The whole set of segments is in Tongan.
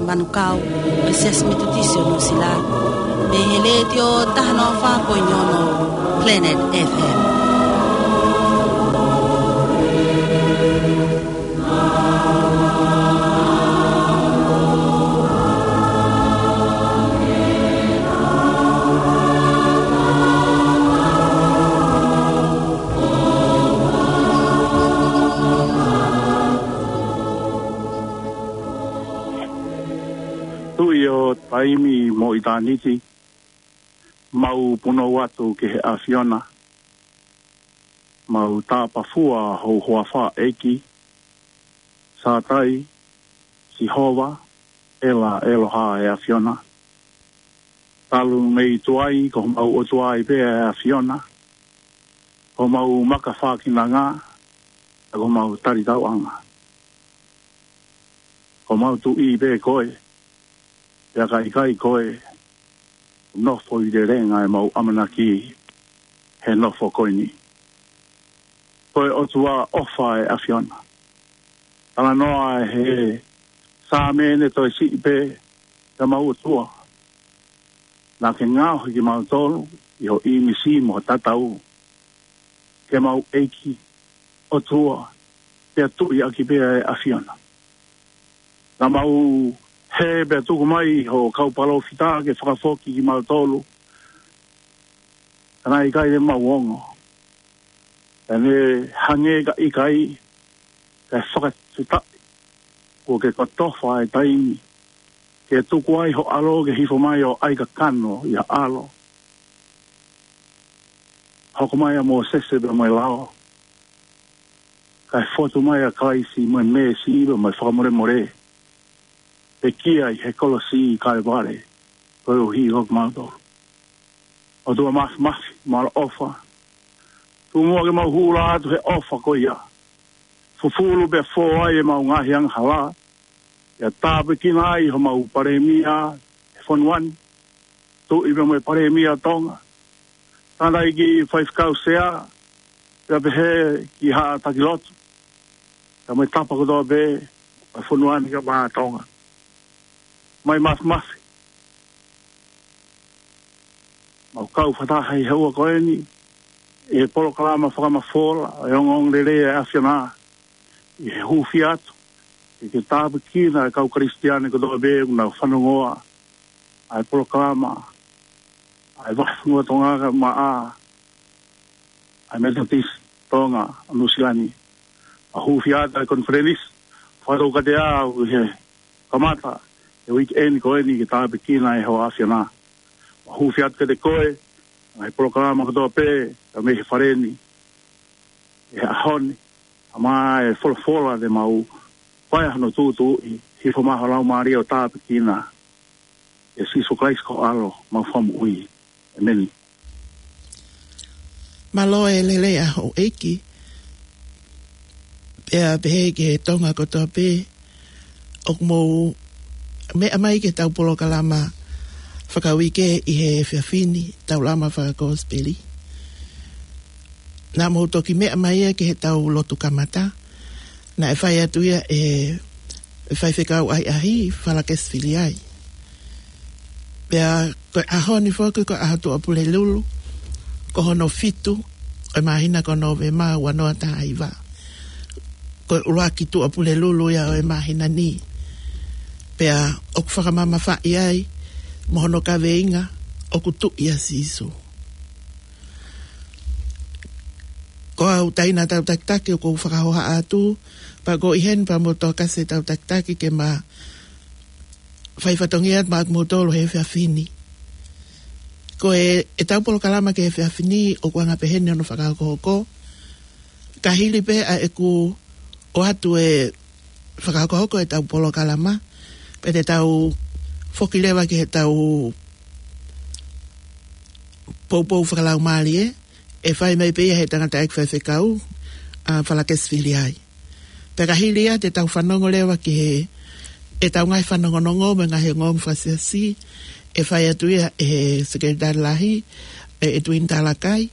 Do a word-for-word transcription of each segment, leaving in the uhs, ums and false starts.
Manukau, ʻo e Siasi Metotisi ʻo Nuʻusila, mei he Letiō taha noa fā poini ono Planet F M. Tuʻi ʻo taimi mo ʻitāniti, mau punou atu ki he ʻAfiona, mau tāpafua ho huafa ʻEiki, Sātai, Sihova, ʻEla, ʻEloha ʻe ʻAfiona. Talu mei tuai ko homau ʻOtua ai pē ʻa e ʻAfiona, ko homau makafākinanga, ko homau talitauʻanga. Ko homau Tuʻi pē koe, pea ka ʻikai koe, nofo ʻi lelenga ʻemau ʻamanaki he nofo ko eni. Ko e ʻOtua ʻofa ʻa e ʻAfiona. Talanoa ʻe he Saame ne toe siʻi pē, ʻa homau ʻOtua. Naʻa ke ngaohi kimautolu ʻi ho ʻīmisi mo ho tatau, ke mau ʻEiki, ʻOtua, pea Tuʻi ʻaki pē ʻa e ʻAfiona. Naʻa mau hē pea tuku mai ho kau palōfita ke fakafoki kimautolu, ka naʻe ʻikai te mau ongo. Pea ne hangē ka ʻikai, kae fakafetaʻi kuo ke kotofa e taimi ke tuku ai ho ʻAlo ke hifo mai ʻo ʻai kakano ʻi ha ʻalo. Hoko mai ʻa Mōsese pea mo e lao, kae fotu mai ʻa Kalaisi mo e meesi pea mo e fakamolemole, pekia ʻi he kolosi ʻi Kalevale koeʻuhi ko kimautolu. ʻOtua Māfimafi, mālō ʻofa. Tuku muʻa ke mau hū atu he ʻofa ko ia, fufulu pea fō ai ʻemau ngaahi angahala, pea tāpuekina ai homau Palēmia he fonua ni, Tuʻi pea mo e Palēmia Tonga, Tangataʻeiki Faifekau Sea, pea pehē ki he Haʻa Taki Lotu, pea mo e tapa kotoa pē ʻo e fonua ni kae ʻumaʻā Tonga. Mai Māfimafi, mau kau fakataha ʻi he houa ko eni ʻi he polokalama fakamafola ʻo e ongoongolelei ʻa e ʻAfiona, ʻi he hūfia atu ke ke tāpuekina e kau Kalisitiane kotoa pē ʻoku nau fanongoa ʻa e polokalama ʻa e Vakafonua Tonga kae ʻumaʻā ʻa e Metotisi Tonga ʻo Nuʻusila ni. Mau hūfia atu ʻa e konifelenisi fakatoukatea ʻoku ʻi he kamata he uike ni ko eni ke tāpuekina ʻe ho ʻAfiona. Mau hūfia atu kiate koe, ngaahi polokalama kotoa pē ʻoku mei he fale ni ʻi he ʻaho ni, ʻa e folofola te mau fai hono tuʻutuʻuni, hifo mai ho Laumālie ʻo tāpuekina, ʻia Sīsū Kalaisi ko ho ʻAlo, mau Fakamoʻui. ʻĒmeni. Mālō e lelei ʻa houʻeiki, pea pehē ki he Tonga kotoa pē ʻoku mou meʻa mai ki heʻetau polokalama fakauike ʻi he efiafi ni, Taulama Fakakosipeli. Naʻa mou toki meʻa mai ia ki heʻetau lotu kamata, naʻe fai atu ia ʻe he faifekau ʻahiʻahi, Falakesi Filiai. Pea ko e ʻaho ni foki ko e ʻaho Tuʻapulelulu, ko hono fitu ʻo e māhina ko Nōvema ua noa taha hiva. Ko e ʻuluaki Tuʻapulelulu ia ʻo e māhina ni. Pea ʻoku fakamamafaʻi ai mo hono kaveinga, ʻOku Tuʻi ʻa Sīsū. Ko au Taina Tautakitaki ʻoku ou fakahohaʻa atu, pea ko ʻi heni pea mo Tokasi Tautakitaki ke ma fai fatongia atu maʻa kimoutolu he efiafi ni. Ko e, ʻetau polokalama ki he efiafi ni ʻoku anga peheni hono fakahokohoko. Ka hili pē ʻa ʻeku ʻoatu e fakahokohoko ʻetau polokalama, pea te tau foki leva ki heʻetau poupou fakalaumālie, ʻe fai mai pē ia ʻe he tangataʻeiki faifekau, ʻa Falakesi Filiai. Pea ka hili ia te tau fanongo leva ki he, ʻetau ngaahi fanongonongo mo e ngaahi ongoongo fakasiasi, ʻe fai atu ia ʻe he Sekelitali Lahi, ʻe ʻEtuini Talakai.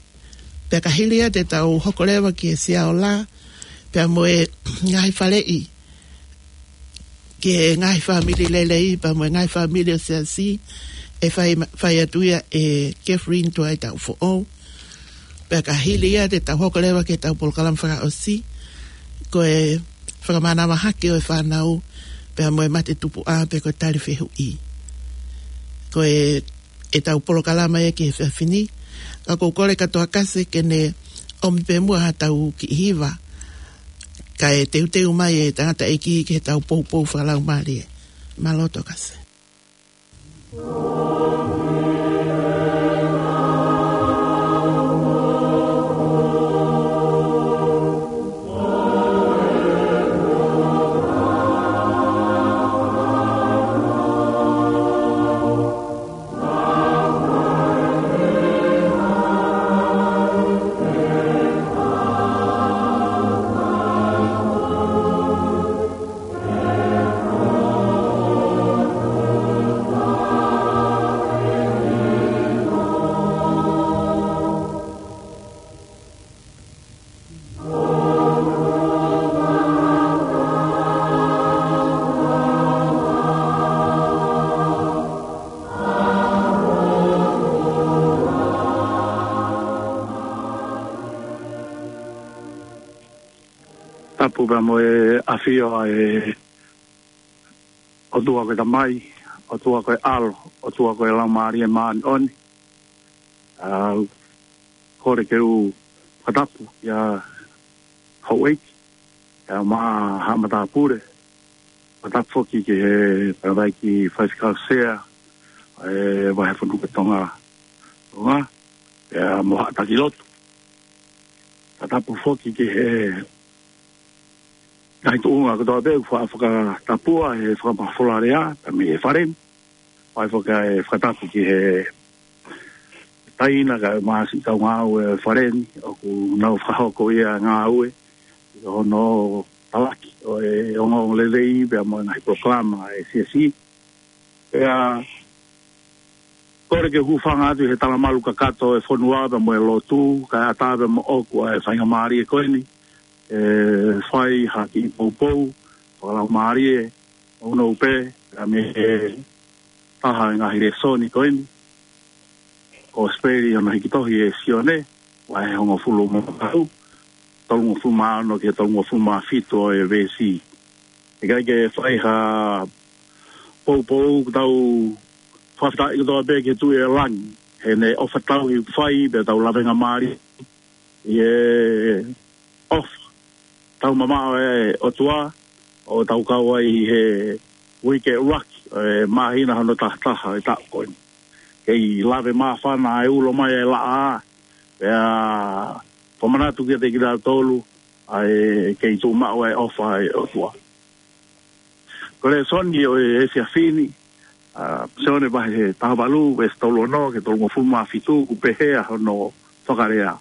Pea ka hili ia te tau hoko leva ki he Sia Ola, pea mo e ngaahi faleʻi ki he ngaahi fāmili lelei, pea mo e ngaahi fāmili ʻo e siasi, ʻe fai, fai atu ia ʻe Catherine Tuaitaʻufoʻou. Pea ka hili ia te tau hoko leva ki heʻetau polokalama fakaʻosi, ko e fakamanavahake ʻo e fānau, pea mo e mate tupuʻa, pe ko e tali fehuʻi. Ko e, ʻetau polokalama ia ki he efiafi ni, ka ʻoku ou kole kia Toa Kase ke ne ʻomi pē muʻa haʻatau kiʻi hiva, kae teuteu mai e tangataʻeiki ki heʻetau poupou fakalaumālie. Mālō Toa Kase. Tapu pea mo e ʻafio ʻa e ʻOtua ko e Tamai, ʻOtua ko e ʻAlo, ʻOtua ko e Laumālie Māʻoniʻoni. ʻA, kole ke u fakatapu ʻia houʻeiki, ʻia Maʻa Haʻa Matāpule, fakatapu foki ki he tangataʻeiki faifekau sea, ʻe Vahefonua Tonga, Tonga, ʻia mo haʻa taki lotu. Fakatapu foki ki he ngaahi tuʻunga kotoa pē ʻoku faʻa fakatapua he fakamafola lea, pea mei he fale ni. Fai foki ʻa e fakatapu ki he taina kae ʻumaʻā siʻi kau ngāue ʻo e fale ni, ʻoku nau fakahoko ia ngāue, ʻi hono talaki ʻo e ongoongolelei, pea mo e ngaahi polokalama ʻa e siasi. Pea kole ke u hūfanga atu he talamalu kakato ʻo e fonua pea mo e lotu, kae ʻatā pea moʻoku ʻa e faingamālie ko eni, ʻe fai ha kiʻi poupou fakalaumālie, nounou pē, pea mei he taha ʻo e ngaahi lēsoni ko eni, Kosipeli hono hiki tohi ʻe Sione, vahe hongofulu mā valu, tolungofulu mā ono ki he tolungofulu mā fitu ʻo e veesi. ʻIkai ke fai ha poupou, ʻoku tau fakafetaʻi kotoa pē ki he Tuʻi ʻo e langi, heʻene ʻofa tauhi ʻoku fai, pea tau lavengamālie ʻi he ʻofa taumamaʻo ʻa e ʻOtua, ʻo tau kau ai ʻi he uike ʻuluaki ʻo e māhina hono tahataha ʻo e taʻu ko eni. Kei lave māfana ʻa e ulo mai ʻa e laʻā, pea fakamanatu kiate kitautolu ʻa e kei tuʻu maʻu ʻa e ʻofa ʻa e ʻOtua. Ko e lēsoni ʻo e efiafi ni, ʻa, Sione vahe taha valu, veesi tolu ono ki he tolungofulu mā fitu, ʻoku pehē ʻa hono fakalea.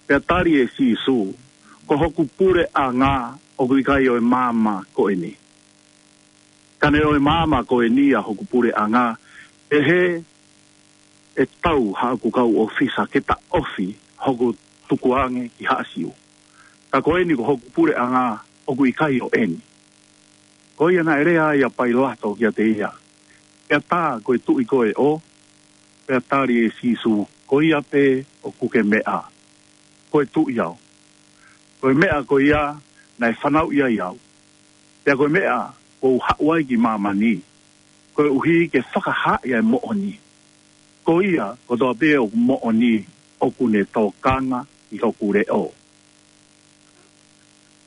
Pea tali ʻe Sīsū, ko hoku puleʻanga ʻoku ʻikai ʻo e maama ko eni. Ka ne ʻo e maama ko eni ʻa hoku puleʻanga, pehē ʻe tau haʻaku kau ʻōfisa ke taʻofi hoku tukuange ki Haʻa Siu. Ka ko eni ko hoku puleʻanga ʻoku ʻikai ʻo eni. Ko ia naʻe lea ai ʻa Pailato kiate ia, pea tā ko e tuʻi koe ʻo? Pea tali ʻe Sīsū, ko ia pē ʻoku ke meʻa, ko e tuʻi au. Ko e meʻa ko ia naʻe fanauʻi ai au. Pea ko e meʻa kuo u haʻu ai ki māmani, koeʻuhi ke fakahaaʻi ʻa e moʻoni. Ko ia kotoa pē ʻoku moʻoni ʻoku ne tokanga ʻi hoku leʻo.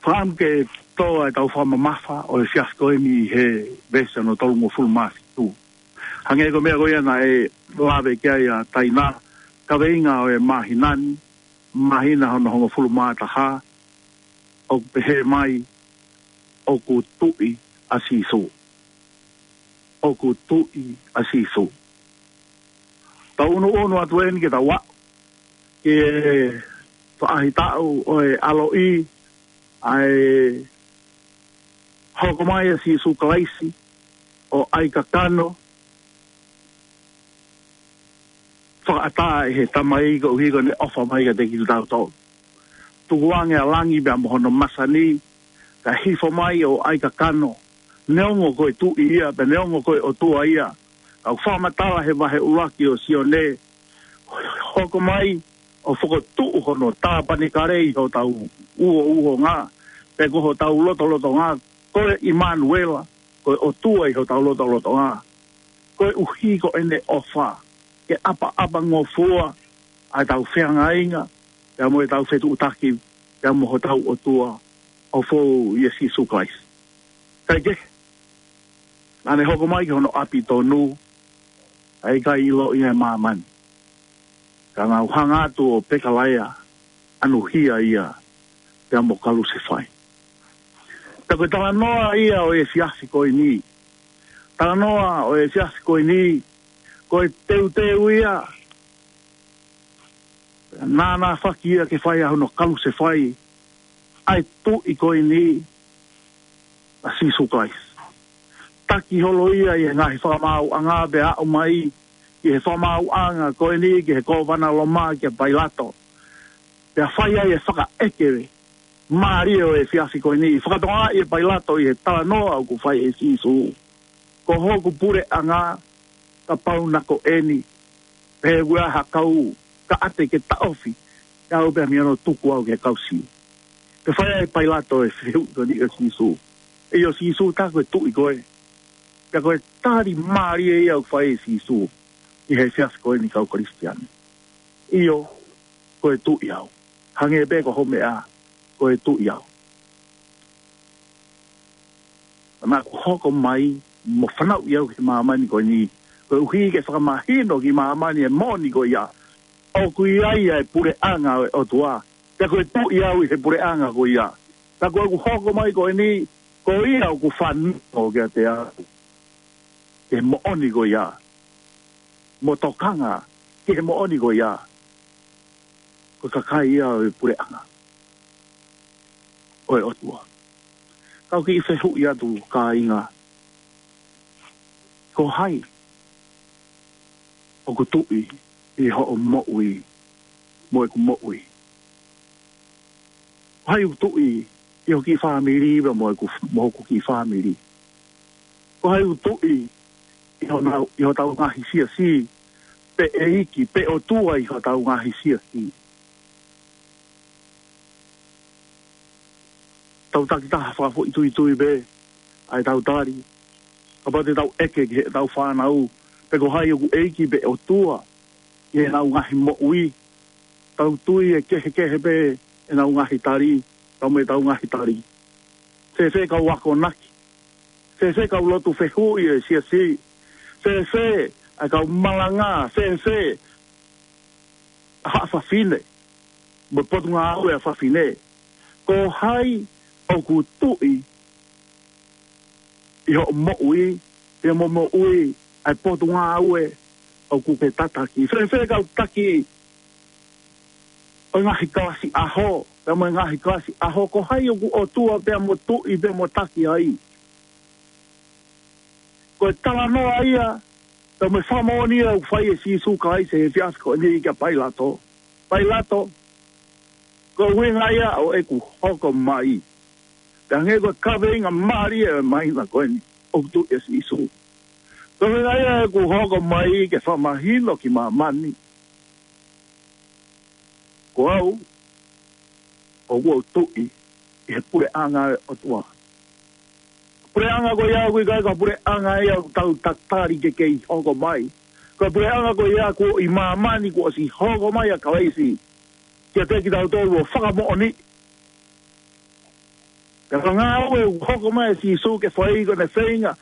Fakaʻamu ke tō ʻa e tau fakamamafa ʻo e efiafi ko eni he veesi hono tolungofulu mā fitu. Hangē ko e meʻa ko ia naʻe lave ki ai ʻa Taina, kaveinga ʻo e māhina ni, māhina hono hongofulu mā taha, ʻoku pehē mai, ʻoku tuʻi ʻa Sīsū. ʻOku tuʻi ʻa Sīsū. Tau ʻunuʻunu atu eni ke tau aʻu ki he faʻahitaʻu ʻo e ʻaloʻi, ʻa e hoko mai ʻa Sīsū Kalaisi ʻo ʻai kakano, fakaʻatā ʻe he Tamai koeʻuhi ko ʻene ʻofa mai kiate kitautolu. Tukuange ʻa langi pea mo hono masani, kae hifo mai ʻo ʻai kakano, Neongo ko e Tuʻi ia, pea neongo ko e ʻOtua ia. Ka ʻoku fakamatala he vahe ʻuluaki ʻo Sione, hoko mai ʻo fokotuʻu hono tāpanekale ʻi hotau uho, uhonga, pe ko hotau lotolotonga, ko e ʻImanuela, ko e ʻOtua ʻi hotau lotolotonga. Koeʻuhi ko ʻene ʻofa ke ʻapaʻapangofua ʻa ʻetau feangainga, pea mo ʻetau fetuʻutaki, pea mo hotau ʻOtua ʻo fou ʻia Sīsū Kalaisi. Kae kehe, naʻa ne hoko mai ki hono ʻapi tonu, ʻa e ʻikai ʻiloʻi ʻe māmani. Ka naʻa nau hanga atu ʻo pekalaea, ʻanuhia ia, pea mo kalusefai. Pea ko e talanoa ia ʻo e efiafi ko eni. Talanoa ʻo e efiafi ko eni, ko e teuteu ia, naʻa na faki ia ke fai ʻa hono kalusefai ʻa e Tuʻi ko eni, ʻa Sīsū Kalaisi. Taki holo ia ʻi he ngaahi fakamaauʻanga pea aʻu mai ki he fakamaauʻanga ko eni ki he kōvana Loma kia Pailato. Pea fai ai e fakaʻeke mālie ʻo e efiafi ko eni. Fakatokangaʻi ʻe Pailato ʻi he talanoa ʻoku fai ʻe Sīsū, ko hoku puleʻanga, kapau naʻa ko eni, pehē ʻoku ʻi ai ha kau kaʻate ke taʻofi ʻe au pea mei hono tuku au ki he kau Siu. Pea fai ai ʻe Pailato e fehuʻi ko eni kia Sīsū. ʻIo Sīsū, tā ko e Tuʻi koe. Pea ko e tali mālie ia ʻoku fai ʻe Sīsū ʻi he efiafi ko eni, kau Kalisitiane. ʻIo, ko e Tuʻi au. Hangē pē ko hoʻo meʻa, ko e Tuʻi au. Naʻa ku hoko mai mo fanauʻi au ki māmani ko eni, koeʻuhi ke fakamahino ki māmani e moʻoni ko ia, ʻoku ʻi ai ʻa e puleʻanga ʻo e ʻOtua, pea ko e Tuʻi au ʻi he puleʻanga ko ia. Pea ko ʻeku hoko mai ko eni, ko ia ʻoku fanongo kiate au ki he moʻoni ko ia, mo tokanga ki he moʻoni ko ia, ko e kakai ia ʻo e puleʻanga ʻo e ʻOtua. Kau kiʻi fehuʻi atu, kāinga, ko hai ʻoku Tuʻi ʻi hoʻo moʻui mo ʻeku moʻui? Ko hai ʻoku Tuʻi ʻi hoʻo kiʻi fāmili pea mo ʻeku, mo hoku kiʻi fāmili? Ko hai ʻoku Tuʻi ʻi honau, ʻi hotau ngaahi siasi, pe ʻEiki, pe ʻOtua ʻi hotau ngaahi siasi? Tau takitaha fakafoʻituitui pē ʻa ʻetau tali. Kapau te tau ʻeke ki heʻetau fānau pe ko hai ʻoku ʻEiki pe ʻOtua ʻi heʻenau ngaahi moʻui, tau tui ʻe kehekehe pē ʻenau ngaahi tali, tau mo ʻetau ngaahi tali. Fēfē kau akonaki? Fēfē kau lotu fehuʻi ʻo e siasi? Fēfē ʻa e kau malanga? Fēfē ʻa haʻa fafine mo e potungāue ʻa fafine? Ko hai ʻoku Tuʻi ʻi hoʻo moʻui, pea mo moʻui ʻa e potungāue ʻoku ke tataki? Fēfē kau taki ʻo e ngaahi kalasi ʻaho, pea mo e ngaahi kalasi ʻaho? Ko hai ʻoku ʻOtua pea mo Tuʻi pea mo taki ai? Ko e talanoa ia, pea mo e fakamoʻoni ia ʻoku fai ʻe Sīsū Kalaisi he efiafi ko eni kia Pailato. Pailato, ko e ʻuhinga ia ʻo ʻeku hoko mai. Pea hangē ko e kaveinga mālie ʻo e māhina ko eni, ʻoku Tuʻi ʻa Sīsū. Ko e ʻuhinga ia ʻeku hoko mai ke fakamahino ki māmani, ko au ʻoku ou Tuʻi ʻi he puleʻanga ʻo e ʻOtua. Puleʻanga ko ia ʻoku ʻikai ko e puleʻanga ia ʻoku tau tatali ke kei hoko mai. Ko e puleʻanga ko ia kuo ʻi māmani, kuo ʻosi hoko mai ʻa Kalaisi kiate kitautolu ʻo fakamoʻoni. Pea ko e ngāue ʻoku hoko mai ʻa Sīsū ke fai ko ʻene feinga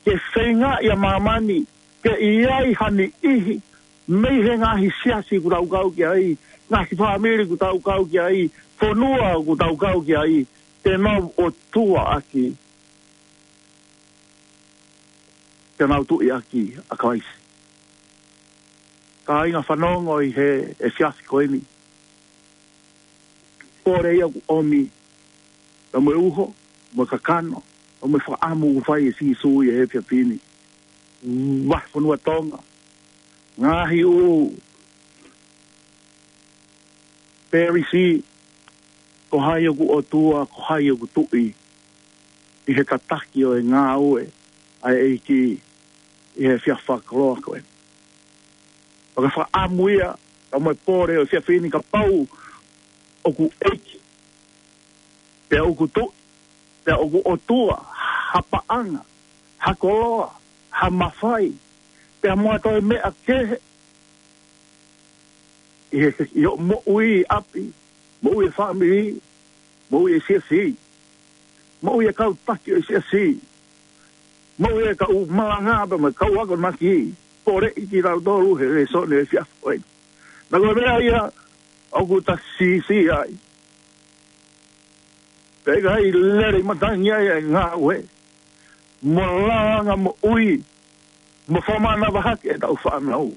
ke feingaʻi ʻa māmani ke ʻi ai ha niʻihi mei he ngaahi siasi ʻoku tau kau ki ai, ngaahi fāmili ʻoku tau kau ki ai, fonua ʻoku tau kau ki ai, te nau ʻOtua ʻaki, te nau Tuʻi ʻaki ʻa Kalaisi. Kāinga, fanongo ʻi he efiafi ko eni. Pole ia ʻoku ʻomi, pea mo e uho, mo e kakano, pea mo e fakaʻamu ʻoku fai ʻe Sīsū ʻi he efiafi ni. Vahefonua Tonga, ngaahi ʻū pelisi, ko hai ʻoku ʻOtua, ko hai ʻoku Tuʻi? ʻi he tataki ʻo e ngāue ʻa e ʻEiki ʻi he efiafi fakakoloa ko eni. Pea ko e fakaʻamu ia, ka mo e pole ʻo e efiafi ni, kapau ʻoku ʻEiki, pea ʻoku Tuʻi, pea ʻoku ʻOtua, ha paʻanga, ha koloa, ha mafai, pea mo ha toe meʻa kehe, ʻi he, ʻi hoʻo moʻui ʻi ʻapi, moʻui e fāmili, moʻui e siasi, moʻui e kau taki ʻo e siasi, moʻui e kau malanga pea mo e kau akonaki, poleʻi kitautolu he lēsoni e efiafi ko eni. Naʻa ko e meʻa ia ʻoku ta siʻisiʻi ai. Pea ʻikai lele ʻi matangi ai e ngāue mo langa moʻui mo fakamanavahē ʻetau fānau.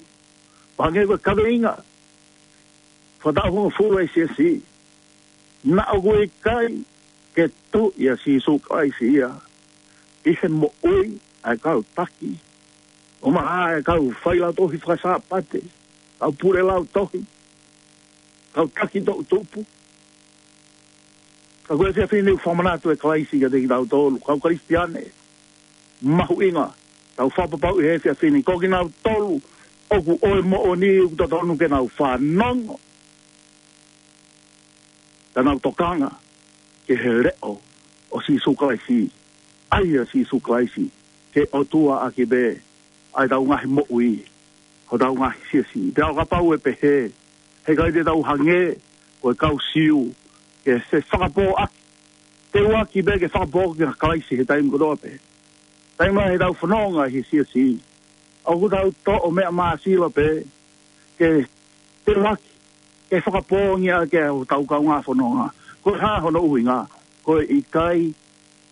Pea hangē ko e kaveinga fakataʻu hongofulu ʻa e siasi, naʻa ʻoku ʻikai ke tuʻi ʻa Sīsū Kalaisi ia ʻi he moʻui ʻa e kau taki, ʻumaʻā e kau failautohi fakasāpate, kau pule lautohi, kau taki toʻutupu. Ka ko e efiafi ni ʻoku fakamanatu ʻe Kalaisi kiate kitautolu kau Kalisitiane mahuʻinga, tau fakapapauʻi he efiafi ni, ko kinautolu ʻoku ʻo e moʻoni ʻoku totonu ke nau fanongo, ka nau tokanga ki he leʻo ʻo Sīsū Kalaisi, ʻa ia Sīsū Kalaisi ke ʻOtua ʻaki pē ʻa ʻetau ngaahi moʻui, hotau ngaahi siasi. Pea ʻo kapau ʻe pehē, heʻikai te tau hangē ko e kau Siu, ke se fakapō ʻaki, teu ʻaki pē ke fakapō kia Kalaisi he taimi kotoa pē. Taimi lahi ʻetau fononga he siasi, ʻoku tau toʻo meʻa māsila pē, ke teu ʻaki, ke fakapōngi ʻaki ʻetau kaungā fononga. Ko e hā hono ʻuhinga? Ko e ʻikai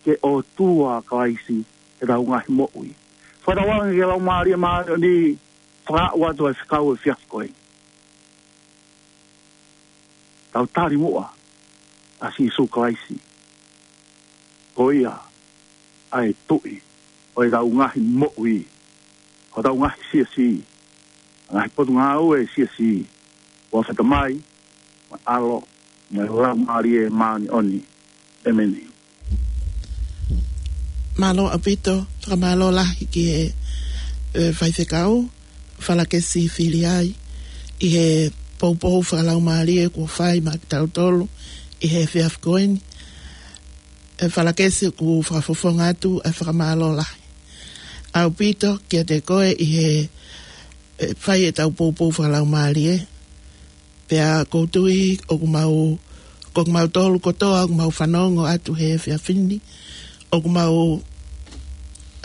ke ʻOtua Kalaisi ʻetau ngaahi moʻui. Fakatauange ki he Laumālie Māʻoniʻoni, fakaaʻu atu e fekau e efiafi ko eni. Tau tali muʻa ʻa Sīsū Kalaisi, ko ia ʻa e Tuʻi ʻo ʻetau ngaahi moʻui, hotau ngaahi siasi, ngaahi potungāue siasi, ʻofa ʻa e Tamai, mo e ʻAlo, mo e Laumālie Māʻoniʻoni. ʻEmeni. Mālō ʻaupito, fakamālō lahi ki he, ʻe, faifekau, Falakesi Filiai, ʻi he poupou fakalaumālie kuo fai maʻa kitautolu ʻi he efiafi ko eni. ʻE Falakesi, ʻoku fakafofonga atu e fakamālō lahi ʻaupito kiate koe ʻi he, ʻe, fai ʻetau poupou fakalaumālie. Pea ʻoku ou tui ʻoku mau, ko kimautolu kotoa ʻoku mau fanongo atu he efiafi ni, ʻoku mau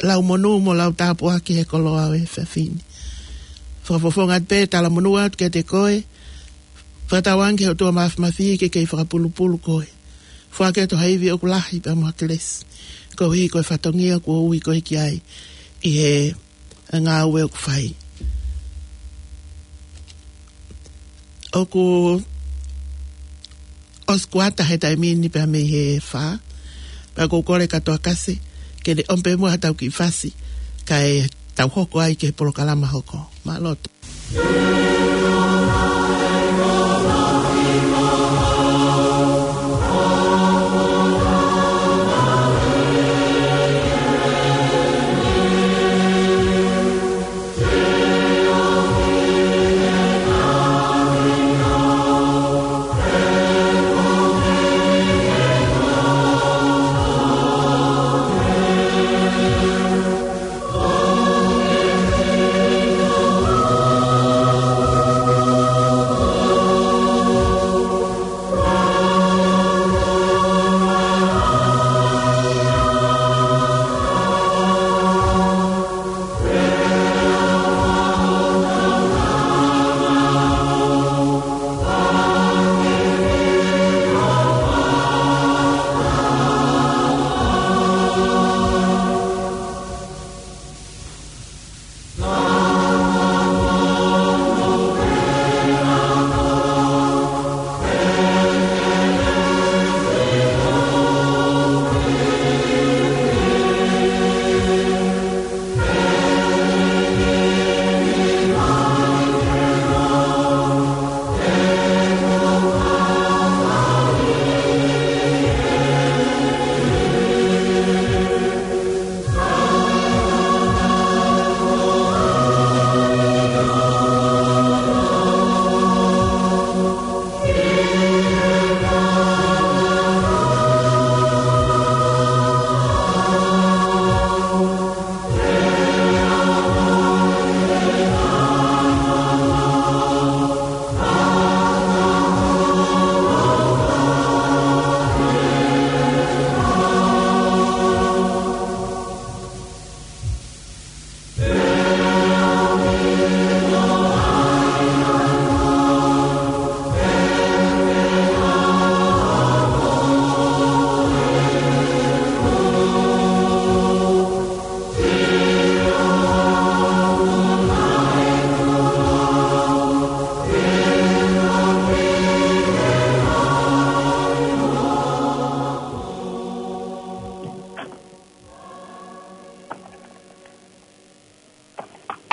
lau monū mo lau tāpuaki he koloa ʻo e efiafi ni. Fakafofonga atu pē talamonū atu kiate koe, fakatauange ki he ʻOtua Māfimafi ke kei fakapulupulu koe, foaki atu ha ivi ʻoku lahi pea mo ha kelesi, koeʻuhi ko e fatongia kuo ui koe ki ai ʻi he ngāue ʻoku fai. ʻOku ʻosi kuata he taimi ni pea mei he fā, pea ʻoku ou kole kātoa Kasi ke ne ʻomi pē muʻa ha tau kiʻi fasi, kae tau hoko ai ki he polokalama hoko. Mālō.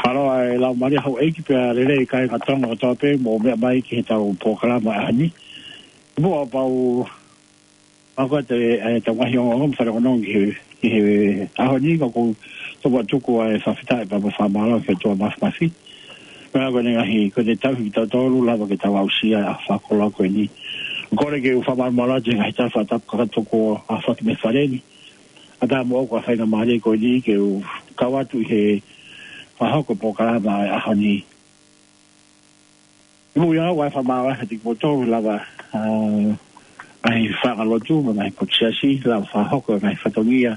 Mālō e lau mālie houʻeiki pea lelei kāinga Tonga kotoa pē mou meʻa mai ki heʻetau polokalama ʻaho ni. Muʻa pau, ʻa ko te, e, tau ngaahi ongoongo mo e fale ongoongo ki he, ki he ʻaho ni, ka ʻoku ou tuku atu ʻa e fakafetaʻi pea mo e fakamālō ki he ʻOtua Māfimafi. Pea ko ʻene ngaahi, ko ʻene tauhi kitautolu, lava ke tau aʻusia ʻa e fakakoloa ko eni. Kole ke u fakamālō atu he ngaahi tala fakatapu kakato kuo aofaki mei he fale ni. ʻAtā moʻoku ʻa e faingamālie ko eni ke u kau atu ʻi he fakahoko e polokalama ʻo e ʻaho ni. ʻI muʻa ʻi ai ʻa e fakamālō atu kiate kimoutolu lava, ʻa, ngaahi fanga lotu, mo e ngaahi potu siasi, lava fakahoko e ngaahi fatongia,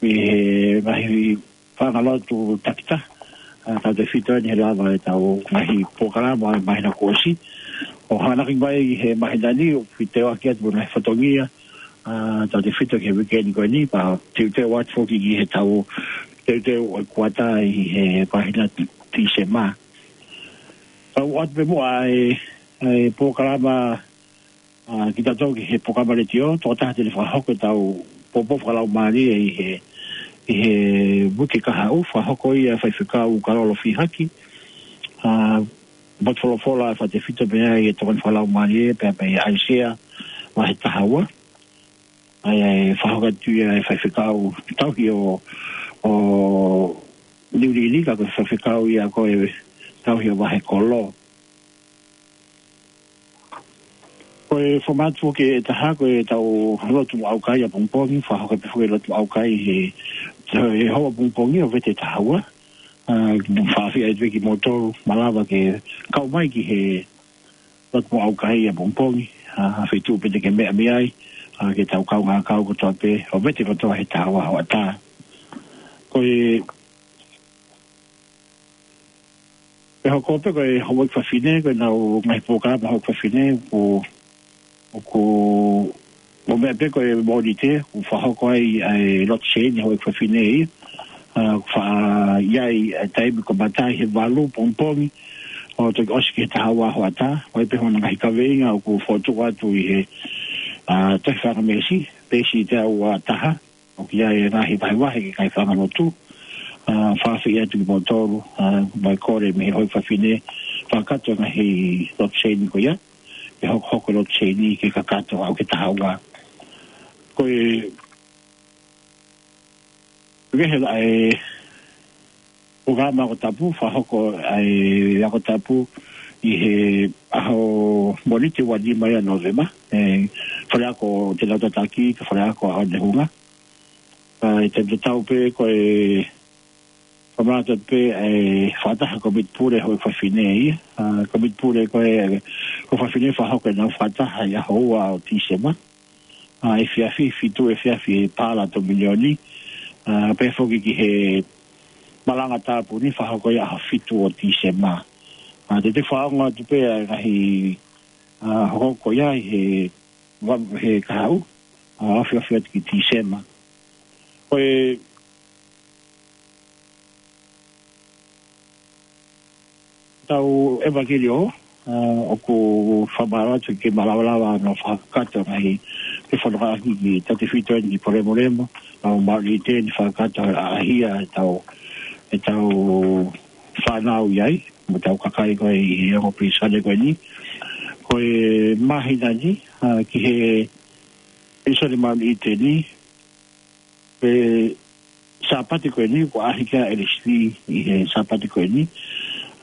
ʻi he ngaahi fanga lotu takitaha, ʻa, tautefito eni he lava ʻetau ngaahi polokalama ʻo e māhina kuo ʻosi. ʻO hanganaki mai he māhina ni, ʻoku fie teuteu atu mo e ngaahi fatongia, ʻa, tautefito ki he uike ni ko eni, pea teuteu atu foki ki heʻetau teuteu ʻo e kuata ʻi he māhina Tīsema. Tau ʻoatu pē muʻa e, e polokalama, ʻa, kitautolu ki he polokalama letiō, tokotaha te ne fakahoko ʻetau poupou fakalaumālie ʻi he, ʻi he uike kahaʻu, fakahoko ia ʻe Faifekau Kalolo Fihaki, ʻa, potu folofola ʻe fakatefito mei ai e tokoni fakalaumālie, pea mei ʻAisea, vahe taha ua. ʻA ia ʻe fakahoko atu ia ʻe Faifekau Tauhi ʻo, ʻo Niuliili, ka ko e faifekau ia ko e Tauhi ʻo Vahekolo. Ko e fomati foki ʻe taha, ko ʻetau lotu mo ʻaukai ʻapongipongi, fakahoko pē foki e lotu mo ʻaukai he, he houa ʻapongipongi ʻo Vete taha ua. ʻA, fakaafeʻi atu pē kimoutolu, malava ke kau mai ki he lotu mo ʻaukai ʻapongipongi, ʻa, feituʻu pē te ke meʻa mei ai, ʻa, ke tau kaungā kau kotoa pē, ʻo Vete kotoa he taha ua hoʻatā. Ko e, ʻe hoko pē ko e houʻeiki fafine, ko ʻenau ngaahi polokalama houʻeiki fafine, ʻoku, ʻoku, ʻo meʻa pē ko e Mōnite, ʻoku fakahoko ai ʻa e lotu seini houʻeiki fafine ia, ʻa, ʻoku faʻa ʻi ai e taimi ko e kamata he valu pongipongi, ʻo toki ʻosi ki he taha ua hoʻatā, ʻo ʻi ai pē hono ngaahi kaveinga ʻoku fokotuʻu atu ʻi he, ʻa, Tohi Fakameesi, peesi teau ua taha, ʻoku ʻi ai e ngaahi vahevahe ki he ngaahi fanga lotu, ʻa, fakaafeʻi atu kimoutolu, ʻa, mo e kole mei he houʻeiki fafine, fakakakato e ngaahi lotu seini ko ia, ʻe hokohoko e lotu seini ke kakato ʻo aʻu ki he taha ua. Ko e, ko e hela e, polokalama ako tapu, fakahoko ʻa e ako tapu ʻi he ʻaho Mōnite ua nima ia Nōvema, ʻe, Faleako Te Nau Tataki, ka Faleako ʻa ʻOnehunga. ʻA, ʻi he taimi tatau pē ko e fakamanatu pē ʻa e fakataha komiti pule houʻeiki fafine ia. ʻA, komiti pule ko e, ko e fafine fakahoko ʻenau fakataha ʻi he ʻaho ua ʻo Tīsema. ʻA, efiafi, fitu efiafi ʻi he Paala Tōminioni. ʻA, pea foki ki he malanga tāpuni fakahoko ia ʻaho fitu ʻo Tīsema. ʻA, te te fakaongo atu pē ʻa e ngaahi, ʻa, hokohoko ia ʻi he, ua, he kahaʻu, ʻa, afiafi atu ki Tīsema. Ko e tau ʻevangeliō, ʻa, ʻoku fakamālō atu ke malavalava ʻa hono fakakakato ngaahi ke fakafoki ki he tautefito eni ki Polemolemo, ʻa, ʻo Maʻuli ʻi he taimi fakakakato ʻa, ʻa ia ʻetau, ʻetau fānau ʻi ai, mo ʻetau kakai ko ē ʻi he ongo pilīsone ko eni. Ko e māhina ni, ʻa, ki he pilīsone Maʻuli ʻi he taimi, he Sāpate ko eni, ʻoku ʻaʻahi ki ai ʻa L S V ʻi he Sāpate ko eni.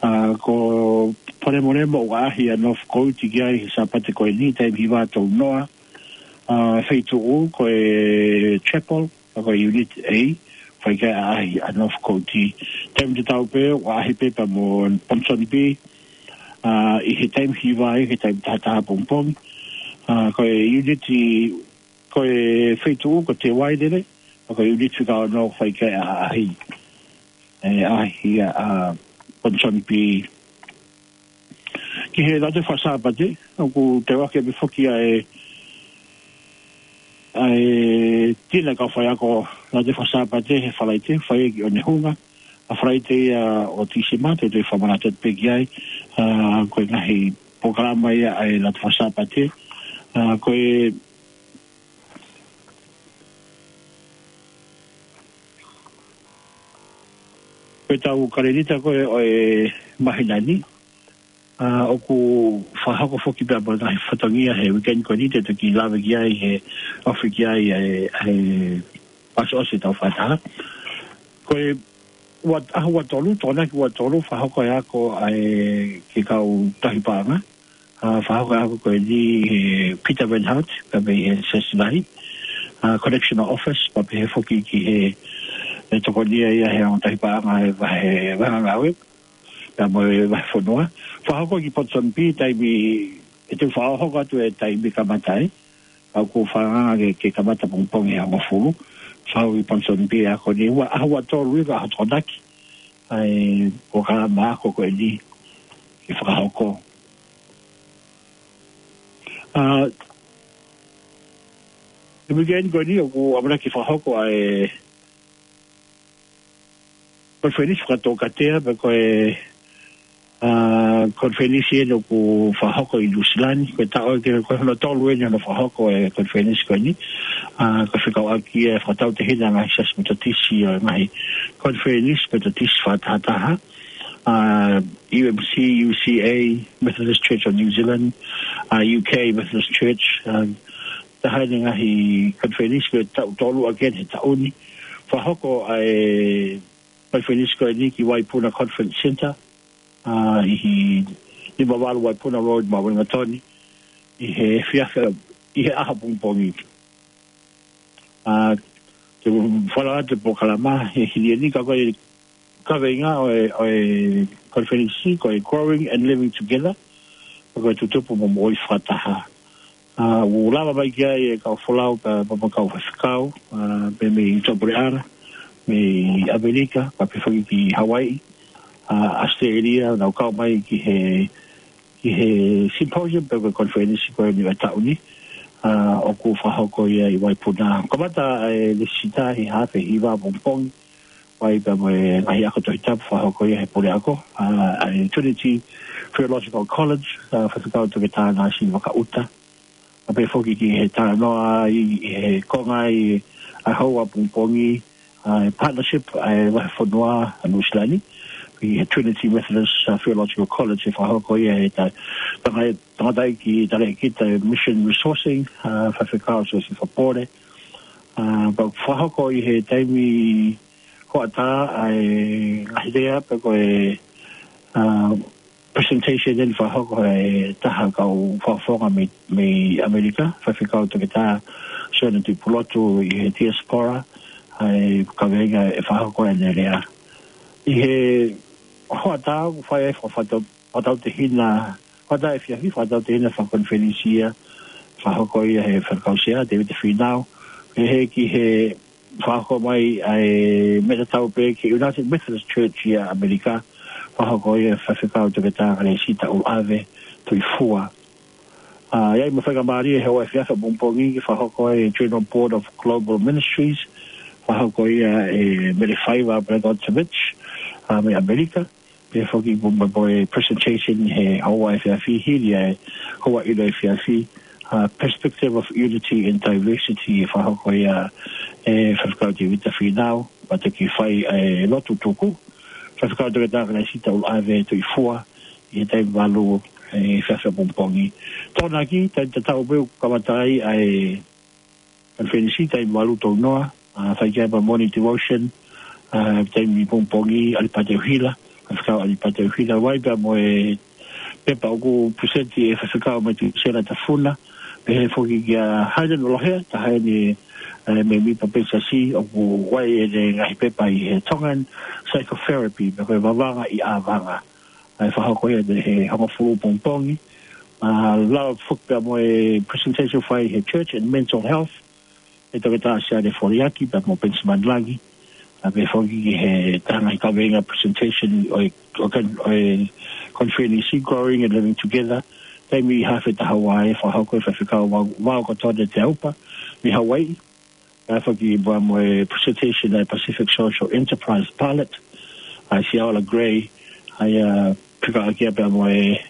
ʻA, ko Polemolemo ʻoku ʻaʻahi ʻa North Coast ki ai he Sāpate ko eni, taimi hiva tolu noa. ʻA, feituʻu ko e Chapel, ʻa ko e Unit A, fai ki ai ʻaʻahi ʻa North Coast. Taimi tatau pē, ʻoku ʻaʻahi pē pea mo Ponsonby, ʻa, ʻi he taimi hiva ai, he taimi taha taha pongipongi. ʻA, ko e Unit ko e feituʻu ko Te Wairere, ʻa ko e Unit fika ono fai ki ai ʻaʻahi. ʻE ʻaʻahi ia ʻa Ponsonby. Ki he Lautohi Fakasāpate, ʻoku teuaki pē foki ʻa e, ʻa e tina kau faiako Lautohi Fakasāpate he Falaite, fai ki ʻOnehunga, ʻa Falaite ia ʻo Tīsema, te u toe fakamanatu atu pē ki ai, ʻa, ko e ngaahi polokalama ia ʻa e Lautohi Fakasāpate, ʻa, ko e Ko e tau kalēlita ko ē ʻo e māhina ni, ʻa, ʻoku fakahoko foki pē ʻa e ngaahi fatongia he weekend ko eni te toki lave ki ai he ofi ki ai ʻa e, ʻa e ʻosiʻosi ʻetau fakataha. Ko e ua, ʻaho ua tolu, Tokonaki ua tolu, fakahoko e ako ʻa e ki he kau tahi paʻanga. ʻA, fakahoko e ako ko eni he Peter Van Hout, pea mei he Siasi Lahi. ʻA, Correctional Office, pea pehē foki ki he, he tokonia ia he ongo tahi paʻanga he vahe, vahe ngāue. Pea mo e vahefonua. Fakahoko ki Ponsonby, taimi, ʻe tau fakahoko atu e taimi kamata ai. ʻOku fakaangaanga ke, ke kamata pongipongi ʻe hongofulu. Fakahoko ki Ponsonby e ako ni, ua, ʻaho ua tolu ia ko e ʻaho Tokonaki. ʻA e, ko e polokalama ako ko eni ke fakahoko. ʻA, he weekend ko eni ʻoku ʻamanaki ke fakahoko ʻa e konifelenisi fakatōkatea, pe ko e, ʻa, konifelenisi eni ʻoku fakahoko ʻi Nuʻusila ni, ko e taʻu eni ko hono tolu eni hono fakahoko e konifelenisi ko eni. ʻA, ko e fekauʻaki e fakatautehina e ngaahi siasi Metotisi ʻo e ngaahi konifelenisi Metotisi fakatahataha. ʻA, U M C, U C A, Methodist Church of New Zealand, ʻa, U K Methodist Church, ʻa, taha eni e ngaahi konifelenisi ko e taʻu tolu ʻaki eni he taʻu ni. Fakahoko ʻa e konifelenisi ko eni ki Waipuna Conference Centre, ʻa, ʻi he nima valu Waipuna Road, Mount Wellington, ʻi he efiafi, ʻi he ʻaho pongipongi. ʻA, te u fala atu e polokalama he hili eni ka ko e kaveinga ʻo e, ʻo e konifelenisi ko e Growing and Living Together, ko e tutupu mo moʻui fakataha. ʻA, ʻoku lava mai ki ai e kau folau pea mo e kau faifekau, ʻa, pea mei Tuʻapuleʻanga, mei ʻAmelika, pea pehē foki ki Hawaii, ʻa, ʻAositelēlia, nau kau mai ki he, ki he symposium pe ko e konifelenisi ko eni ʻo e taʻu ni, ʻa, ʻoku fakahoko ia ʻi Waipuna. Kamata e lēsisita he hafe hiva pongipongi, ʻo ʻai pea mo e ngaahi ako Tohi Tapu fakahoko ia he puleako, ʻa, ʻa e Trinity Theological College, ʻa, Faifekau Toketā Nāsili Vakaʻuta. ʻA, pehē foki ki he talanoa ʻi, ʻi he konga ʻi ʻaho ua pongipongi, ʻa, e partnership ʻa e vahefonua ʻa Nuʻusila ni, ʻi he Trinity Methodist, ʻa, Theological College ʻe fakahoko ia he ta-, tanga-, tangataʻeiki talēkita mission resourcing, ʻa, Faifekau Siosifa Pole. ʻA, pea fakahoko ʻi he taimi hoʻatā ʻa e ngaahi lea pe ko e, ʻa, presentation eni fakahoko ʻe he taha kau fakafofonga mei, mei ʻAmelika, Faifekau Toketā Sione Tuʻipulotu ʻi he diaspora, ʻa e kaveinga ʻe fakahoko ʻene lea. ʻI he hoʻatā ʻoku fai ai fakafato-, fakatautehina, hoʻatā efiafi fakatautehina fakakonifelenisi ia, fakahoko ia he Faifekau Sea, Tēvita Fīnau. Pehē ki he fakahoko mai ʻa e meʻa tatau pē ki he United Methodist Church ʻi ʻAmelika, fakahoko ia he Faifekau Toketā Kalesita ʻUluʻave Tuʻifua. ʻA, ʻi ai mo e faingamālie he ʻaho efiafi pongipongi ke fakahoko e General Board of Global Ministries, fakahoko ia ʻe Mele Faiva Blagojevich, ʻa, mei ʻAmelika, pehē foki mo, mo, mo e presentation he houa efiafi hili ʻa e houa ʻilo efiafi, ʻa, Perspective of Unity in Diversity, ʻe fakahoko ia ʻe Faifekau Tēvita Fīnau, pea toki fai e lotu tuku, Faifekau Toketā Kalesita ʻUluʻave Tuʻifua, ʻi he taimi valu ʻi he efiafi pongipongi. Tokonaki, taimi tatau pē ʻoku kamata ai ʻa e konifelenisi, taimi valu tounoa, ʻa, fai ki ai pea morning devotion, ʻa, taimi pongipongi, ʻAlipate ʻUhila, Faifekau ʻAlipate ʻUhila, ʻo ʻai pea mo e pepa ʻoku present ʻe he Faifekau Metusela Tafuna, pehē foki kia Hayden ʻUlohea, taha eni, ʻa, mēmipa pē Siasi, ʻoku ʻai ʻene ngaahi pepa ʻi he Tongan Psychotherapy, pe ko e vavanga ʻi ʻāvanga. ʻA, ʻe fakahoko ia he hongofulu pongipongi. ʻA, lava foki pea mo e presentation fai he Church and Mental Health, ʻe Toketā Siale Foliaki, pea mo Benjamin Langi. ʻA, pehē foki ki he taha e ngaahi kaveinga presentation ʻo e, ʻo e kon-, ʻo e konifelenisi Growing and Living Together. Taimi hafe taha ua ʻe fakahoko ʻe Faifekau Vao, Vao Kotone Teaupa, mei Hawaii. Pea foki pea mo e presentation ʻa e Pacific Social Enterprise Pilot, ʻa Siaola Gray, ʻa ia fekauʻaki pea mo e,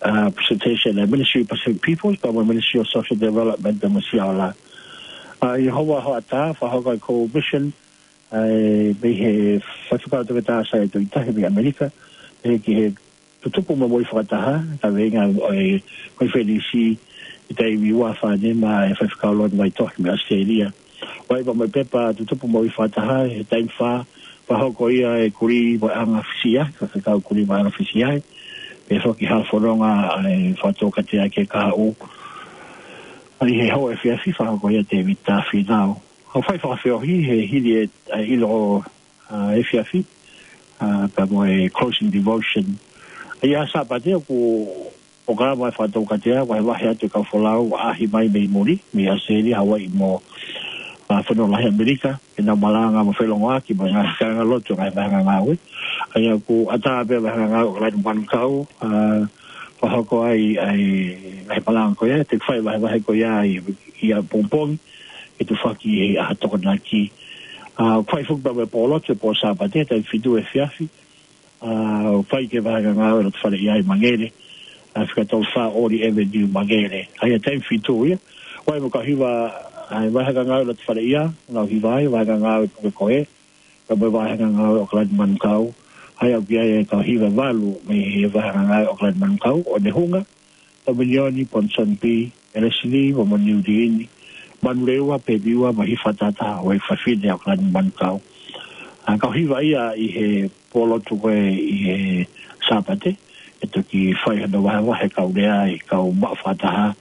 ʻa, presentation ʻa e Ministry of Pacific Peoples, pea mo e Ministry of Social Development, pea mo Siaola. ʻA, ʻi he houa hoʻatā, fakahoko e Commission, ʻa e, mei he Faifekau Toketā Saia Tuʻitahi mei ʻAmelika, ʻe ki he tutupu mo e moʻui fakataha, ka veinga ʻo e, ko e felisi, ʻi taimi ua fā nima ʻe Faifekau Loni Vaitohi mei ʻAositelēlia. ʻOku ʻi ai pē mo e pepa tutupu moʻui fakataha, he taimi fā, fakahoko ia ʻe Kulī mo e ʻAnga Fisiahi, Faifekau Kulī mo e ʻAnga Fisiahi, pea foki hala fononga ʻa e Fakatoukatea ki he kahaʻu. ʻA ia he houʻeiki efiafi fakahoko ia ʻe Tēvita Fīnau. ʻOku fai fakafeohi he hili e, ʻa e ʻilo ʻa e efiafi, ʻa, pea mo e closing devotion. ʻA ia Sāpate ʻoku, ʻoku ʻi ai e Fakatoukatea, vahevahe atu e kau folau, ʻaʻahi mai mei muli, mei ʻAositelēlia, Hawaiʻi mo, ʻa, Fonua Lahi ʻAmelika, ke nau malanga mo felongoaki, mo e ngaahi kāingalotu, ngaahi vāhenga ngāue. ʻA ia ʻoku ʻatā pē vāhenga ngāue ʻAokalani Manukau, ʻa, fakahoko ai, ʻa e, ngaahi malanga ko ia, te fai vahevahe ko ia, ʻi, ʻi ʻapongipongi, ʻe tufaki ʻi he ʻaho Tokonaki. ʻA, fai foki pē mo e pōlotu he pō Sāpate, taimi fitu efiafi. ʻA, fai ki he vāhenga ngāue loto fale ia ʻi Mangere. ʻA, fika tolu fā Oli Avenue Mangere. ʻA ia taimi fitu ia. ʻOku ʻi ai mo e kau hiva, ʻa, vāhenga ngāue loto fale ia, ngāue hiva ai, vāhenga ngāue puke kohe. Ka mo e vāhenga ngāue ʻAokalani Manukau. ʻA ia ʻoku ʻi ai e kau hiva ʻe valu mei he vāhenga ngāue ʻAokalani Manukau, ʻOnehunga, Tominioni, Ponsonby, ʻElesili, mo Moniuliini, Manurewa, Pemiua, mo Hifatata, ʻo e fafine ʻAokalani Manukau. ʻA, kau hiva ia ʻi he pōlotu ko ē ʻi he Sāpate, ʻe toki fai hano vahevahe kau lea ʻa e kau maʻu fakataha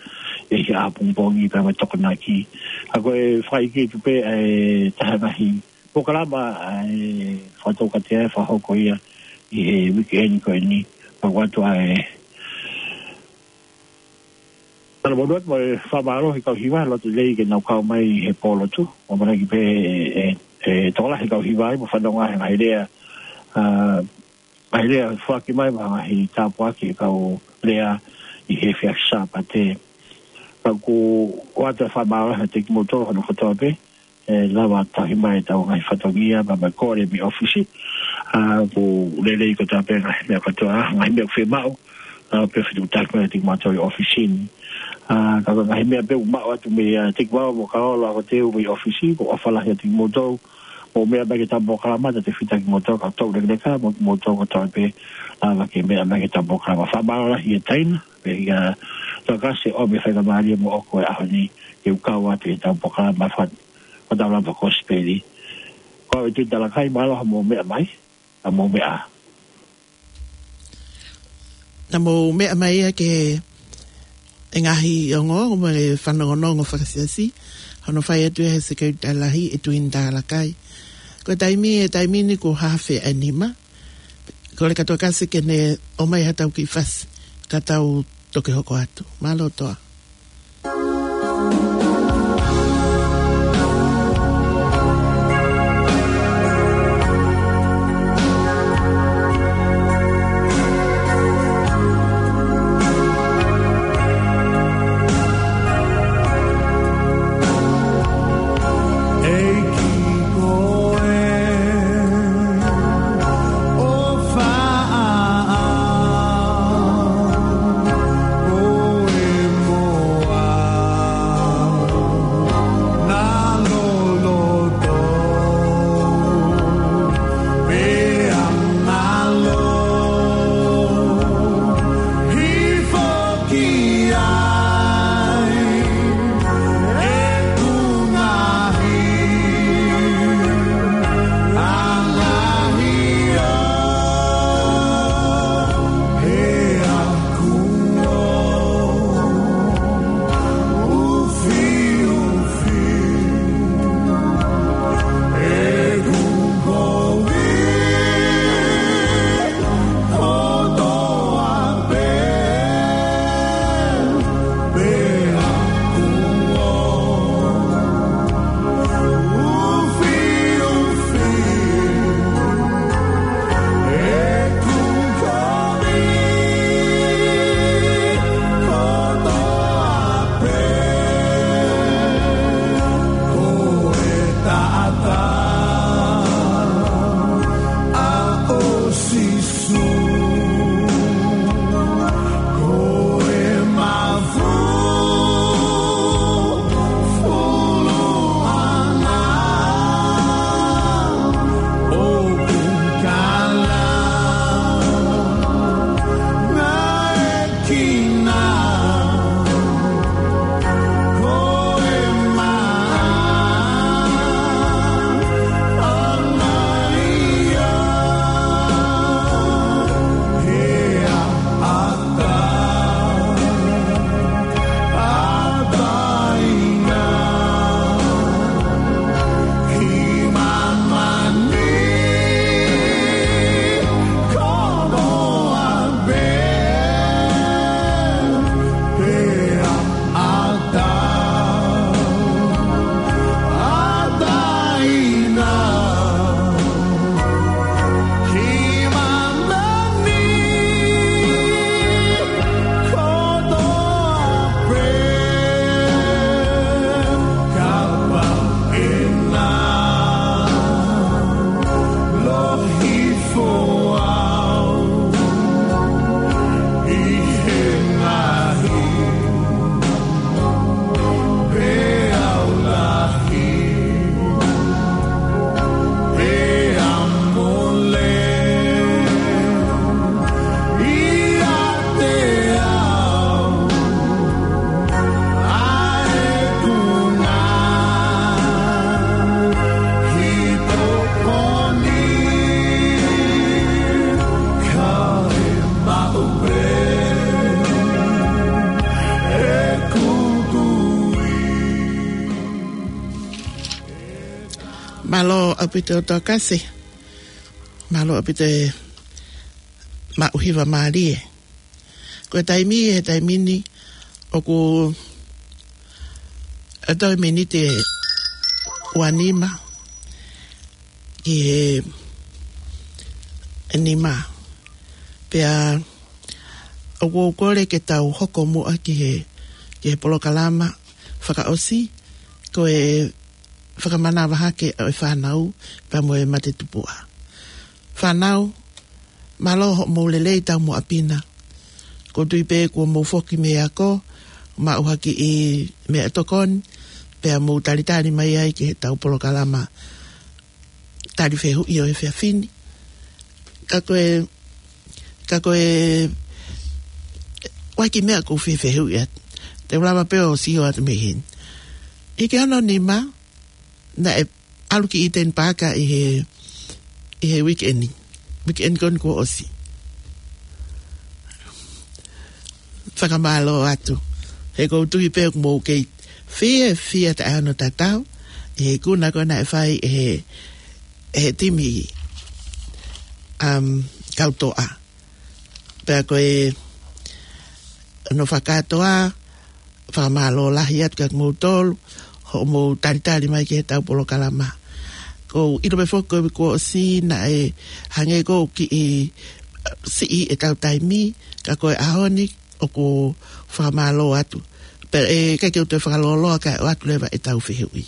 ʻi he ʻapongipongi pea mo e Tokonaki. ʻA ko e fakaʻikiki pē ʻa e taha e ngaahi polokalama ʻa e Fakatoukatea ʻe fakahoko ia ʻi he weekend ko eni. Pea ʻoatu ʻa e tala mo e fakamālō he kau hiva, loto lelei ke nau kau mai he pōlotu. ʻOku ʻamanaki pē ʻe, ʻe, ʻe tokolahi e kau hiva ai, mo fanongo he ngaahi lea, ʻa, ngaahi lea foaki mai, mo e ngaahi tāpuaki ʻa e kau lea ʻi he efiafi Sāpate. Ka ʻoku ʻoatu e fakamālō kiate kimoutolu hono kotoa pē, ʻe lava tauhi mai ʻetau ngaahi fatongia, pea mo e kole mei ʻōfisi. ʻA, ʻoku lelei kotoa pē ngaahi meʻa kotoa, ngaahi meʻa ʻoku fiemaʻu, ʻa, pea fetuʻutaki mai kiate kimautolu ʻi ʻōfisi ni. ʻA, ka ko e ngaahi meʻa pē ʻoku maʻu atu mei, ʻa, Tekivao mo Kaolo ʻa ko e teu mei ʻōfisi, ʻoku ʻofa lahi kiate kimoutolu, mou meʻa mai ki heʻetau polokalama, talitali kimoutolu, ka tau lekeleka, mo kimoutolu kotoa pē, ʻa, lava ke meʻa mai ki heʻetau polokalama. Fakamālō lahi ʻe Taina, pea ʻikai ke u kole ke ʻomi e faingamālie moʻoku he ʻaho ni, ke u kau atu ʻi heʻetau polokalama fat-, Fataulapa Kosipeli. Ko e Tuʻi Talakai, mālō hoʻomou meʻa mai, ʻa mou meʻa. Naʻa mou meʻa mai ia ki he ngaahi ongoongo mo e fanongonongo fakasiasi, hono fai atu ia ʻe he Sekelitali Lahi ʻe Tuʻi Talakai. Ko e taimi, ʻe taimi ni kuo hā feʻanima. Kole kātoa Kasi ke ne ʻomai haʻatau kiʻi fasi, ka tau toki hoko atu. Mālō Toa. Mālō ʻaupito Tokasi. Mālō ʻaupito e maʻu hiva mālie. Ko e taimi, he taimi ni ʻoku ʻa toe miniti ʻe ua nima ki he nima. Pea ʻoku ou kole ke tau hoko muʻa ki he, ki he polokalama fakaʻosi, ko e fakamanava hake ʻo e fānau pea mo e mate tupuʻa. Fānau, mālō hoʻomou lelei taumuʻa pina. ʻOku ou tui pē kuo mou foki mei he ako, maʻu ha kiʻi meʻatokoni, pea mou talitali mai ai ki heʻetau polokalama tali fehuʻi ʻo e efiafi ni. Ka ko e, ka ko e, ʻoku ʻi ai e kiʻi meʻa ʻoku ou fie fehuʻi atu. Te u lava pē ʻo sio atu mei heni. ʻI he ono nima, naʻe ʻalu ki Eden Park ʻi he, ʻi he weekend. Weekend ko eni kuo ʻosi. Fakamālō atu. He ʻoku ou tui pē ʻoku mou kei fiefia taʻe hano tatau ʻi he ikuna ko ē naʻe fai ʻe he, ʻe he timi, um, Kautoʻa. Pea ko e, ʻoku ou fakakātoa, fakamālō lahi atu kia kimoutolu hoʻomou talitali mai ki heʻetau polokalama. ʻOku ou ʻilo pē foki ko e uike kuo ʻosi naʻe hangē ʻoku kiʻi siʻi ʻetau taimi, ka ko e ʻaho ni ʻoku ou fakamālō atu. Pea ʻe ʻikai ke u toe fakalōloa kae ʻoatu leva ʻetau fehuʻi.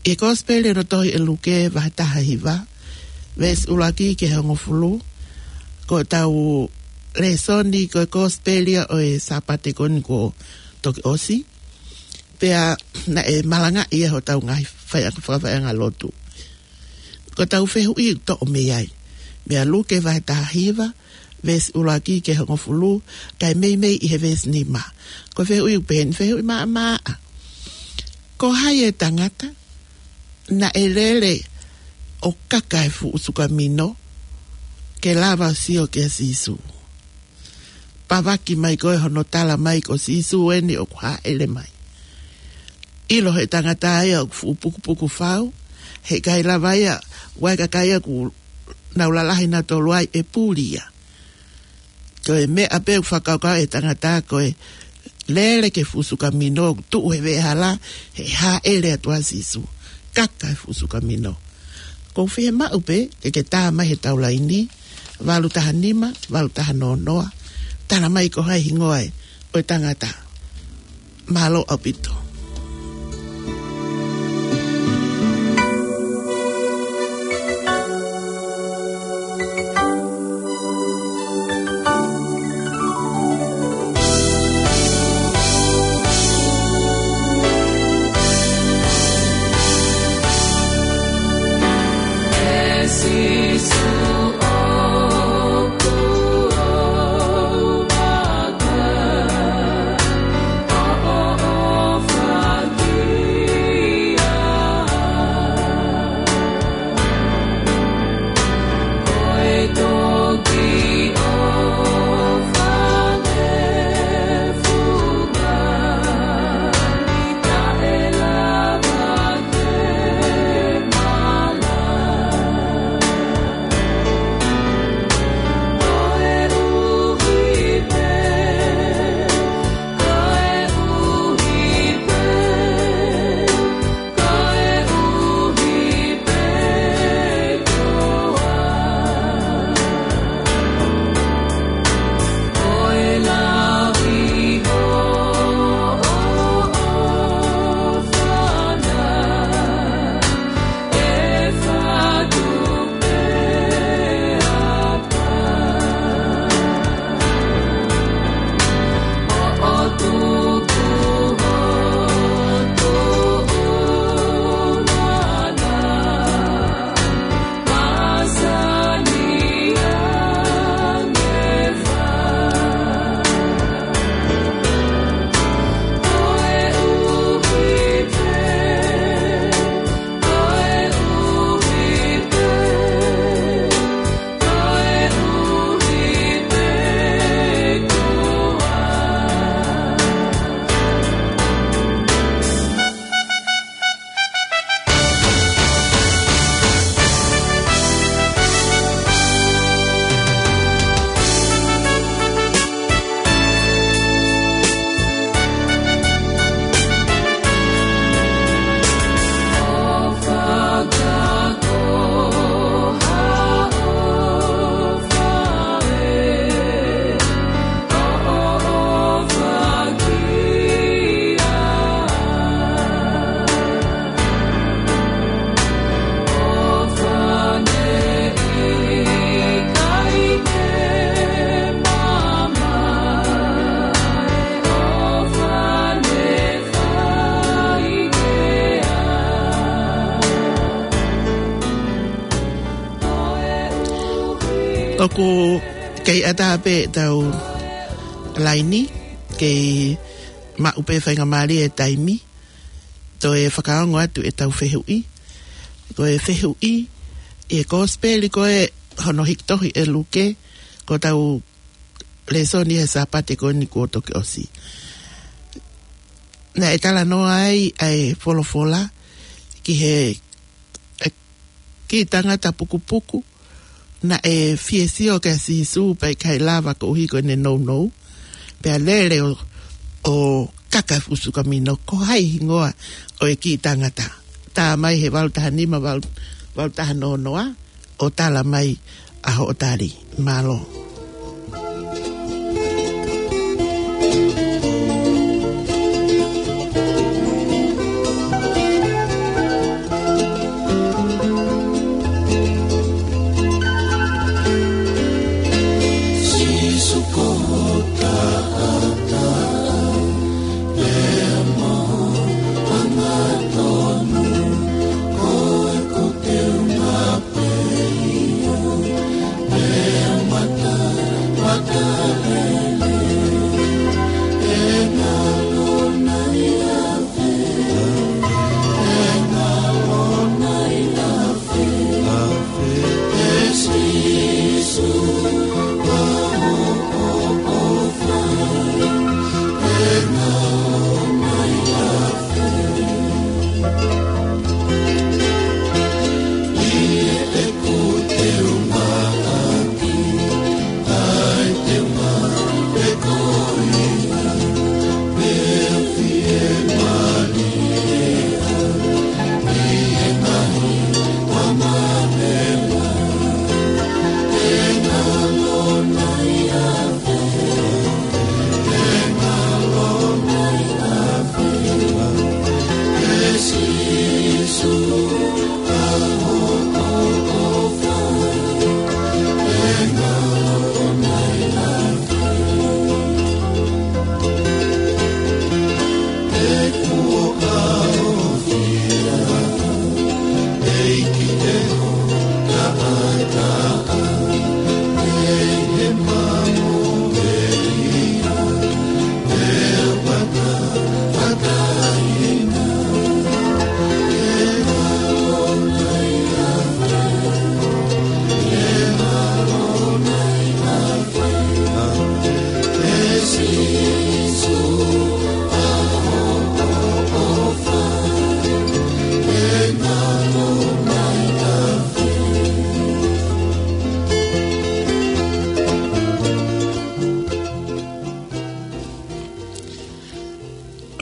ʻI he Kosipeli ʻo e tohi ʻe Luke vahe taha hiva, veesi ʻuluaki ki he hongofulu, ko ʻetau lēsoni ko e Kosipeli ʻo e Sāpate ko eni kuo toki ʻosi, pea naʻe malangaʻi ʻe hotau ngaahi fai-, fakafaʻahinga lotu. Ko ʻetau fehuʻi ʻoku toʻo mei ai. Meia Luke vahe taha hiva, veesi ʻuluaki ki he hongofulu, kae meimei ʻi he veesi nima. Ko e fehuʻi ʻoku pehē ni, fehuʻi maʻamaʻa. Ko hai e tangata naʻe lele ʻo kaka e fuʻu sukamino ke lava ʻo sio kia Sīsū? Pāvaki mai ko ē hono tala mai ko Sīsū eni ʻoku hāʻele mai. ʻIlo ʻe he tangata ia ʻoku fuʻu pukupuku fau, heʻikai lava ia, ʻoku ʻi ai e kakai ia ʻoku nau lalahi nautolu ai ʻe puli ia. Ko e meʻa pē ʻoku fakakaukau ʻe he tangata ko e lele ki he fuʻu sukamino, tuʻu he veʻehala, he hāʻele atu ʻa Sīsū. Kaka e fuʻu sukamino. ʻOku ou fiemaʻu pē ke ke tā mai heʻetau laini, valu taha nima, valu taha noa noa. Tala mai ko hai e hingoa ʻo e tangata. Mālō ʻaupito. ʻOku kei ʻatā pē ʻetau laini, kei maʻu pē faingamālie e taimi, toe fakaongo atu ʻetau fehuʻi. Ko e fehuʻi, ʻi he kosipeli ko ē hono hiki tohi ʻe Luke, ko ʻetau lēsoni he Sāpate ko eni kuo toki ʻosi. Naʻe talanoa ai ʻa e folofola ki he, e, kiʻi tangata pukupuku, naʻe fie sio kia Sīsū pea ʻikai lava koeʻuhi ko ʻene nounou. Pea lele ʻo, ʻo kaka fusu kamino, ko hai hingoa ʻo e kiʻi tangata. Tā mai he valu taha nima, valu, valu taha noa noa, ʻo tala mai ʻa hoʻo tali. Mālō.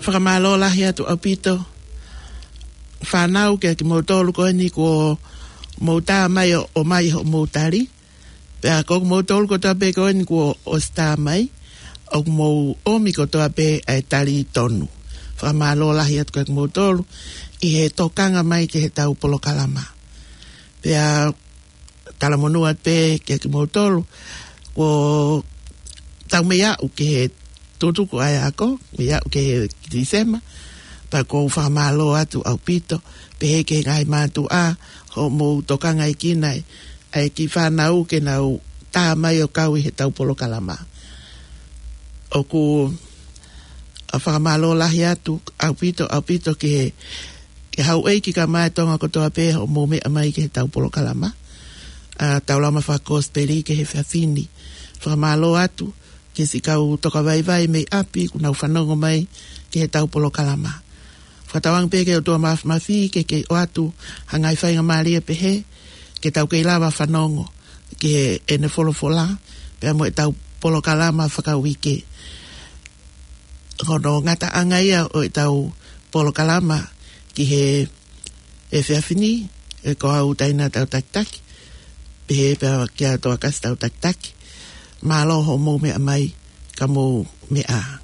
Fakamālō lahi atu ʻaupito fānau, kiate kimoutolu ko eni kuo mou tā mai ʻo, ʻomai hoʻomou tali. Pea ko kimoutolu kotoa pē ko eni kuo ʻosi tā mai, ʻoku mou ʻomi kotoa pē ʻa e tali tonu. Fakamālō lahi atu kiate kimoutolu ʻi he tokanga mai ki heʻetau polokalama. Pea talamonū atu pē kiate kimoutolu, kuo tau mei aʻu ki he tutuku ʻa e ako, mei aʻu ki he Tīsema, pea ʻoku ou fakamālō atu ʻaupito, pehē ki he ngaahi mātuʻa, hoʻomou tokangaʻi kinaua ʻa e kiʻi fānau ke nau tā mai ʻo kau ʻi heʻetau polokalama. ʻOku ou fakamālō lahi atu ʻaupito, ʻaupito ki he, ki he houʻeiki kae ʻumaʻā e Tonga kotoa pē hoʻomou meʻa mai ki heʻetau polokalama. ʻA, Taulama Fakakosipeli ki he efiafi ni. Fakamālō atu ki siʻi kau tokavaivai mei ʻapi kuo nau fanongo mai ki heʻetau polokalama. Fakatauange pē ki he ʻOtua Māfimafi ke kei ʻoatu ha ngaahi faingamālie pehē, ke tau kei lava fanongo ki heʻene folofola, pea mo ʻetau polokalama fakauike. Ko hono ngataʻanga ia ʻo ʻetau polokalama ki he efiafi ni, ʻe ko au Taina Tautakitaki, pehē pē kia Toakasi Tautakitaki. Mālō hoʻomou meʻa mai, ka mou meʻa ā.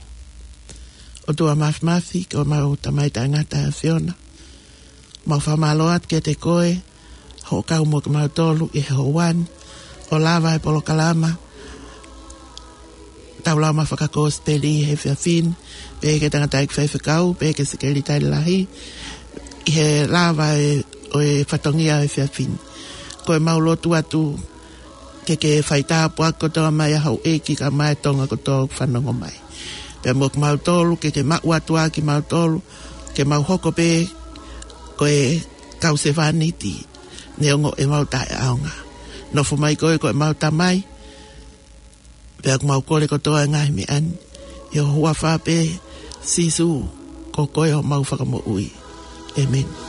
ʻOtua Māfimafi, ko homau Tamai Taʻengata ʻa e ʻAfiona. Mau fakamālō atu kiate koe, hoʻo kau mo kimautolu ʻi he houa ni, ʻo lava e polokalama Taulama Fakakosipeli he efiafi ni, pehē ki he tangataʻeiki faifekau, pehē ki he sekelitali lahi, ʻi he lava e, ʻo e fatongia he efiafi ni. Ko ʻemau lotu atu ke ke faitāpuaki kotoa mai ʻa houʻeiki kae ʻumaʻā e Tonga kotoa ʻoku fanongo mai. Pea mo kimautolu, ke ke maʻu atu ʻa kimautolu, ke mau hoko pē ko e kau sevāniti, neongo ʻemau taʻeʻaonga. Nofo mai koe ko ʻemau Tamai, pea ʻoku mau kole kotoa e ngaahi meʻa ni ʻi ho huafa pē, Sīsū, ko koe homau Fakamoʻui. ʻĒmeni.